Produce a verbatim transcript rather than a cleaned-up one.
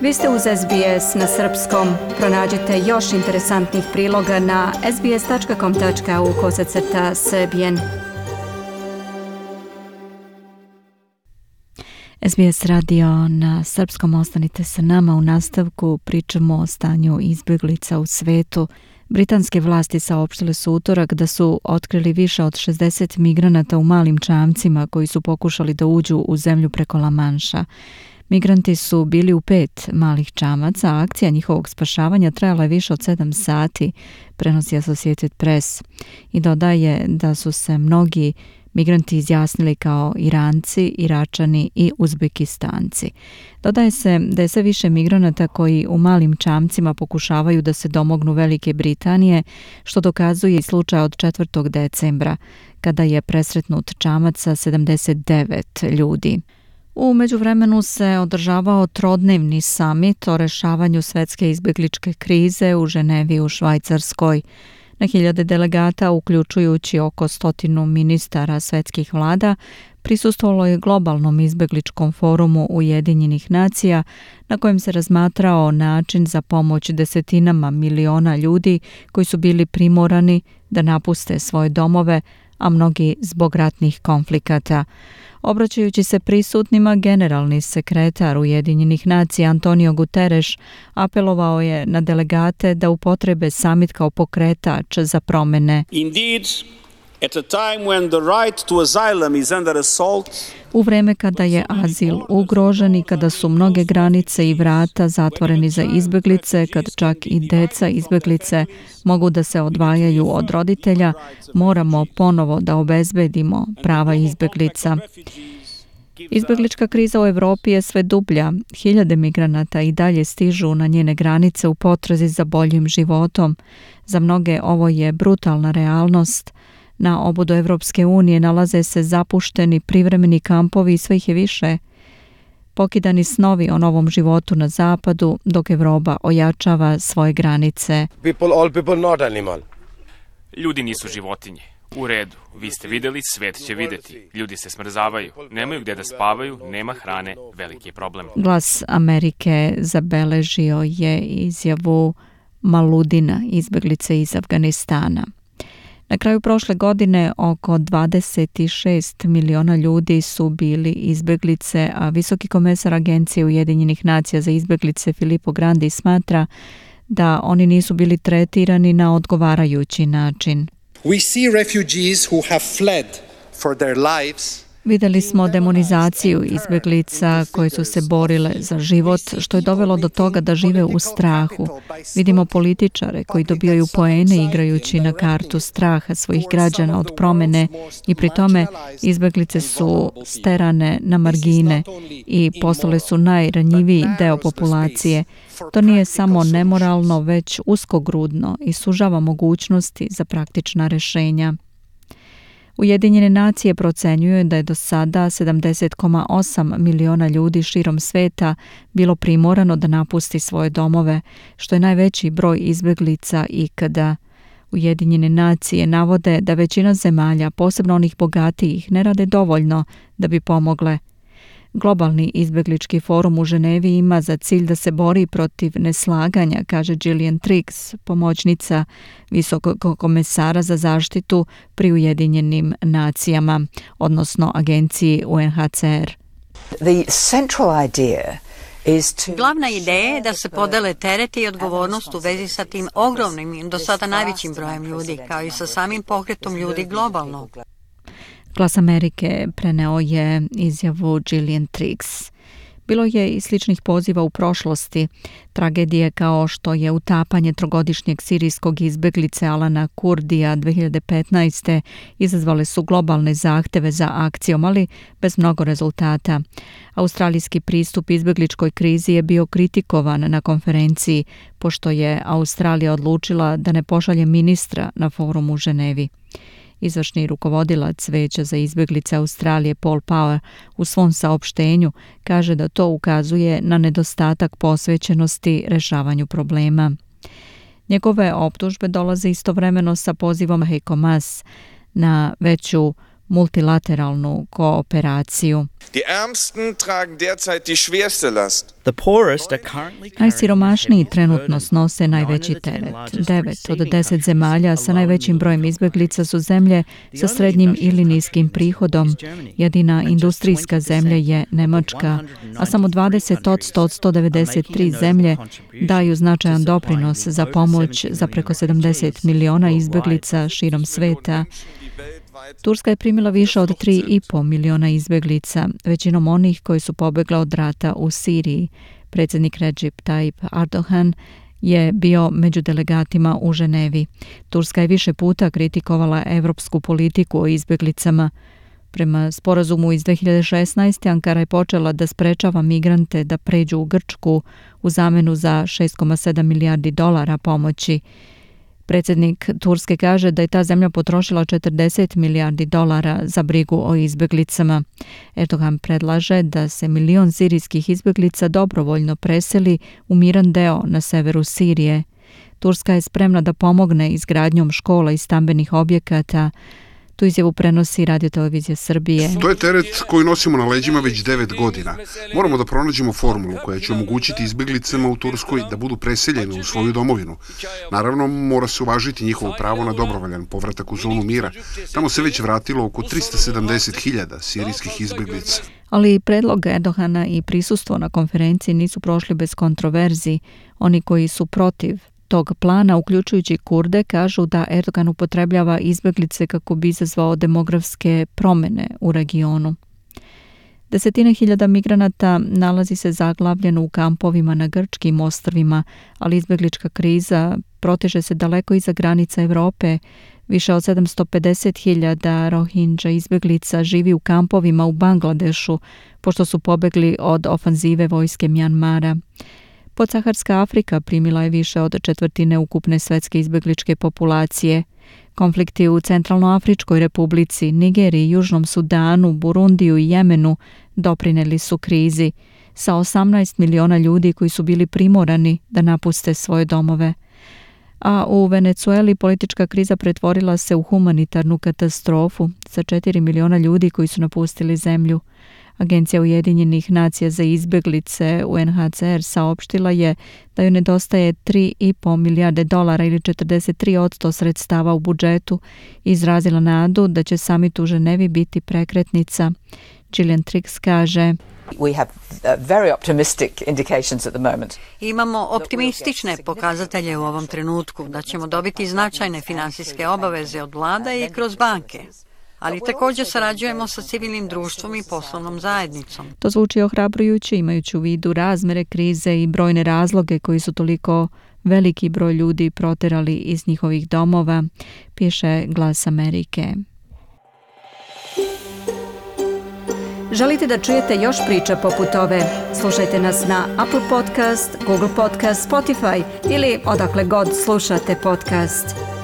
Vi ste uz S B S na srpskom. Pronađite još interesantnih priloga na sbs.com.au kosacrta srbijen. S B S radio na srpskom, ostanite sa nama. U nastavku pričamo o stanju izbjeglica u svetu. Britanske vlasti saopštile su utorak da su otkrili više od šezdeset migranata u malim čamcima koji su pokušali da uđu u zemlju preko La Manša. Migranti su bili u pet malih čamaca, a akcija njihovog spašavanja trajala je više od sedam sati, prenosi Associated Press. I dodaje da su se mnogi migranti izjasnili kao Iranci, Iračani i Uzbekistanci. Dodaje se da je sve više migranata koji u malim čamcima pokušavaju da se domognu Velike Britanije, što dokazuje i slučaj od četvrtog decembra, kada je presretnut čamac sa sedamdeset devet ljudi. U međuvremenu se održavao trodnevni samit o rešavanju svetske izbjegličke krize u Ženevi u Švajcarskoj. Na hiljade delegata, uključujući oko stotinu ministara svetskih vlada, prisustvovalo je globalnom izbjegličkom forumu Ujedinjenih nacija, na kojem se razmatrao način za pomoć desetinama miliona ljudi koji su bili primorani da napuste svoje domove, a mnogi zbog ratnih konflikata. Obraćajući se prisutnima, generalni sekretar Ujedinjenih nacija Antonio Guterres apelovao je na delegate da upotrebe samit kao pokretač za promene. Indeed, at a time when the right to asylum is under assault, u vreme kada je azil ugrožen i kada su mnoge granice i vrata zatvoreni za izbjeglice, kad čak i deca izbjeglice mogu da se odvajaju od roditelja, moramo ponovo da obezbedimo prava izbjeglica. Izbjeglička kriza u Evropi je sve dublja. Hiljade migranata i dalje stižu na njene granice u potrazi za boljim životom. Za mnoge ovo je brutalna realnost. Na obodu Evropske unije nalaze se zapušteni privremeni kampovi i sve ih je više. Pokidani snovi o novom životu na zapadu, dok Evropa ojačava svoje granice. People, all people, not animal. Ljudi nisu životinje. U redu, vi ste vidjeli, svet će vidjeti. Ljudi se smrzavaju, nemaju gdje da spavaju, nema hrane, veliki je problem. Glas Amerike zabeležio je izjavu Maludina, izbjeglice iz Afganistana. Na kraju prošle godine oko dvadeset šest miliona ljudi su bili izbjeglice, a visoki komesar Agencije Ujedinjenih nacija za izbjeglice Filippo Grandi smatra da oni nisu bili tretirani na odgovarajući način. We see refugees who have fled for their lives. Vidjeli smo demonizaciju izbjeglica koje su se borile za život, što je dovelo do toga da žive u strahu. Vidimo političare koji dobijaju poene igrajući na kartu straha svojih građana od promene i pri tome izbjeglice su sterane na margine i postale su najranjiviji deo populacije. To nije samo nemoralno, već uskogrudno i sužava mogućnosti za praktična rješenja. Ujedinjene nacije procenjuju da je do sada sedamdeset zarez osam miliona ljudi širom sveta bilo primorano da napusti svoje domove, što je najveći broj izbjeglica ikada. Ujedinjene nacije navode da većina zemalja, posebno onih bogatijih, ne rade dovoljno da bi pomogle. Globalni izbjeglički forum u Ženevi ima za cilj da se bori protiv neslaganja, kaže Gillian Triggs, pomoćnica visokog komesara za zaštitu pri Ujedinjenim nacijama, odnosno agenciji U N H C R. The central idea Glavna ideja je da se podele tereti i odgovornost u vezi sa tim ogromnim, do sada najvećim brojem ljudi, kao i sa samim pokretom ljudi globalno. Glas Amerike preneo je izjavu Gillian Triggs. Bilo je i sličnih poziva u prošlosti. Tragedije kao što je utapanje trogodišnjeg sirijskog izbjeglice Alana Kurdija dve hiljade petnaeste. izazvale su globalne zahteve za akcijom, ali bez mnogo rezultata. Australijski pristup izbjegličkoj krizi je bio kritikovan na konferenciji, pošto je Australija odlučila da ne pošalje ministra na forum u Ženevi. Izvršni rukovodilac Veća za izbjeglice Australije Paul Power u svom saopštenju kaže da to ukazuje na nedostatak posvećenosti rešavanju problema. Njegove optužbe dolaze istovremeno sa pozivom Heiko Maas na veću multilateralnu kooperaciju. Die Ärmsten tragen derzeit die schwerste Last. Najsiromašniji trenutno snose najveći teret. Devet od deset zemalja sa najvećim brojem izbjeglica su zemlje sa srednjim ili niskim prihodom. Jedina industrijska zemlja je Nemačka, a samo dvadeset odsto od sto devedeset tri zemlje daju značajan doprinos za pomoć za preko sedamdeset miliona izbjeglica širom sveta. Turska je primila više od tri i po miliona izbjeglica, većinom onih koji su pobjegla od rata u Siriji. Predsjednik Recep Tayyip Erdogan je bio među delegatima u Ženevi. Turska je više puta kritikovala evropsku politiku o izbjeglicama. Prema sporazumu iz dve hiljade šesnaeste. Ankara je počela da sprečava migrante da pređu u Grčku u zamenu za šest zarez sedam milijardi dolara pomoći. Predsjednik Turske kaže da je ta zemlja potrošila četrdeset milijardi dolara za brigu o izbjeglicama. Erdogan predlaže da se milion sirijskih izbjeglica dobrovoljno preseli u miran deo na severu Sirije. Turska je spremna da pomogne izgradnjom škola i stambenih objekata. Tu izjavu prenosi Radiotelevizija Srbije. To je teret koji nosimo na leđima već devet godina. Moramo da pronađemo formulu koja će omogućiti izbjeglicama u Turskoj da budu preseljene u svoju domovinu. Naravno, mora se uvažiti njihovo pravo na dobrovoljan povratak u zonu mira. Tamo se već vratilo oko tristo sedamdeset hiljada sirijskih izbjeglica. Ali predlog Erdogana i prisustvo na konferenciji nisu prošli bez kontroverzi. Oni koji su protiv tog plana, uključujući Kurde, kažu da Erdogan upotrebljava izbjeglice kako bi izazvao demografske promjene u regionu. Desetine hiljada migranata nalazi se zaglavljeno u kampovima na grčkim ostrvima, ali izbjeglička kriza proteže se daleko iza granica Europe. Više od sedamsto pedeset hiljada Rohingya izbjeglica živi u kampovima u Bangladešu, pošto su pobegli od ofanzive vojske Mjanmara. Podsaharska Afrika primila je više od četvrtine ukupne svetske izbjegličke populacije. Konflikti u Centralnoafričkoj republici, Nigeriji, Južnom Sudanu, Burundiju i Jemenu doprinijeli su krizi, sa osamnaest miliona ljudi koji su bili primorani da napuste svoje domove. A u Venecueli politička kriza pretvorila se u humanitarnu katastrofu sa četiri miliona ljudi koji su napustili zemlju. Agencija Ujedinjenih nacija za izbjeglice U N H C R saopštila je da joj nedostaje tri i po milijarde dolara ili četrdeset tri posto sredstava u budžetu i izrazila nadu da će samit u Ženevi biti prekretnica. Gillian Triggs kaže: We have uh, very optimistic indications at the moment. Imamo optimistične pokazatelje u ovom trenutku da ćemo dobiti značajne finansijske obaveze od vlada i kroz banke. Ali također sarađujemo sa civilnim društvom i poslovnom zajednicom. To zvuči ohrabrujuće imajući u vidu razmere krize i brojne razloge koji su toliko veliki broj ljudi proterali iz njihovih domova, piše Glas Amerike. Želite da čujete još priča poput ove? Slušajte nas na Apple Podcast, Google Podcast, Spotify ili odakle god slušate podcast.